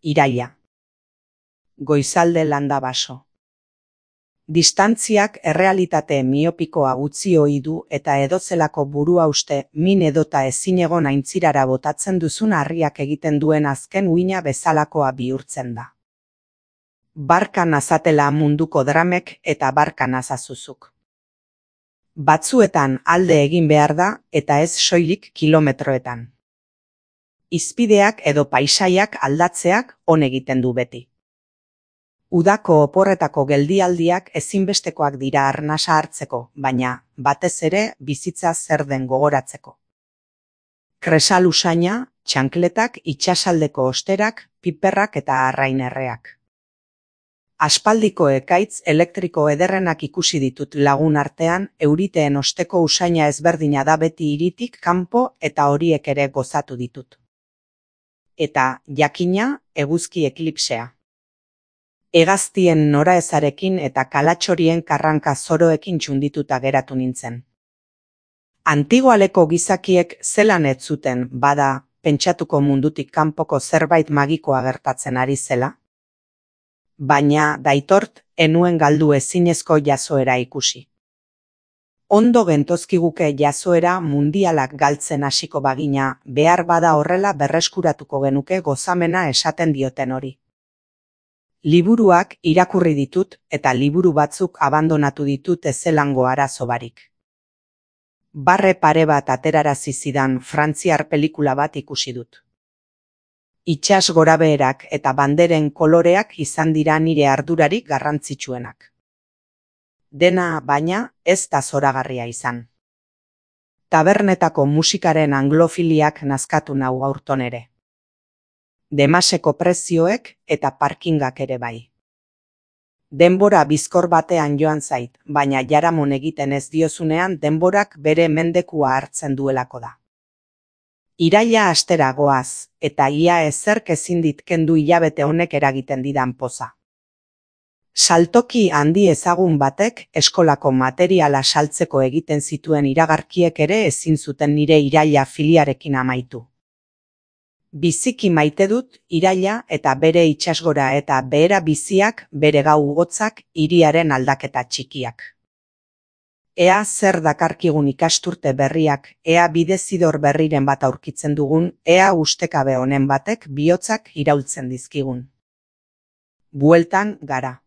Iraila. Goizalde landa baso. Distantziak errealitate miopikoa utzi ohi du eta edozelako buruhauste min edota ezinegon aintzirara botatzen duzun harriak egiten duen azken uina bezalakoa bihurtzen da. Barka nazatela munduko dramek eta barka nazazuzuk. Batzuetan alde egin behar da eta ez soilik kilometroetan. Izpideak edo paisaiak aldatzeak on egiten du beti. Udako oporretako geldialdiak ezinbestekoak dira arnasa hartzeko, baina batez ere bizitza zer den gogoratzeko. Kresal usaina, txankletak, itsasaldeko osterak, piperrak eta arrainerreak. Aspaldiko ekaitz elektriko ederrenak ikusi ditut lagun artean, euriteen osteko usaina ezberdina da beti hiritik kanpo eta horiek ere gozatu ditut. Eta, jakina, eguzki eklipsea. Hegaztien noraezarekin eta kalatxorien karranka zoroekin txundituta geratu nintzen. Antigualeko gizakiek zelan ez zuten, bada, pentsatuko mundutik kanpoko zerbait magikoa gertatzen ari zela? Baina, daitort, enuen galdu ezinezko jazoera ikusi. Ondo gentozkiguke jazoera mundialak galtzen hasiko bagina, behar bada horrela berreskuratuko genuke gozamena esaten dioten hori. Liburuak irakurri ditut eta liburu batzuk abandonatu ditut ezelango arazo barik. Barre pare bat aterarazi zidan frantziar pelikula bat ikusi dut. Itsas gorabeherak eta banderen koloreak izan dira nire ardurarik garrantzitsuenak. Dena, baina, ez da zoragarria izan. Tabernetako musikaren anglofiliak nazkatu nau aurton ere. Demaseko prezioek eta parkingak ere bai. Denbora bizkor batean joan zait, baina jaramon egiten ez diozunean denborak bere mendekua hartzen duelako da. Iraila astera goaz, eta ia ezerk ezin dit kendu hilabete honek eragiten didan poza. Saltoki handi ezagun batek eskolako materiala saltzeko egiten zituen iragarkiek ere ezin zuten nire iraila filiarekin amaitu. Biziki maite dut iraila eta bere itsasgora eta behera biziak, bere gau gotzak, hiriaren aldaketa txikiak. Ea zer dakarkigun ikasturte berriak, ea bidezidor berriren bat aurkitzen dugun, ea ustekabe honen batek bihotzak iraultzen dizkigun. Bueltan gara.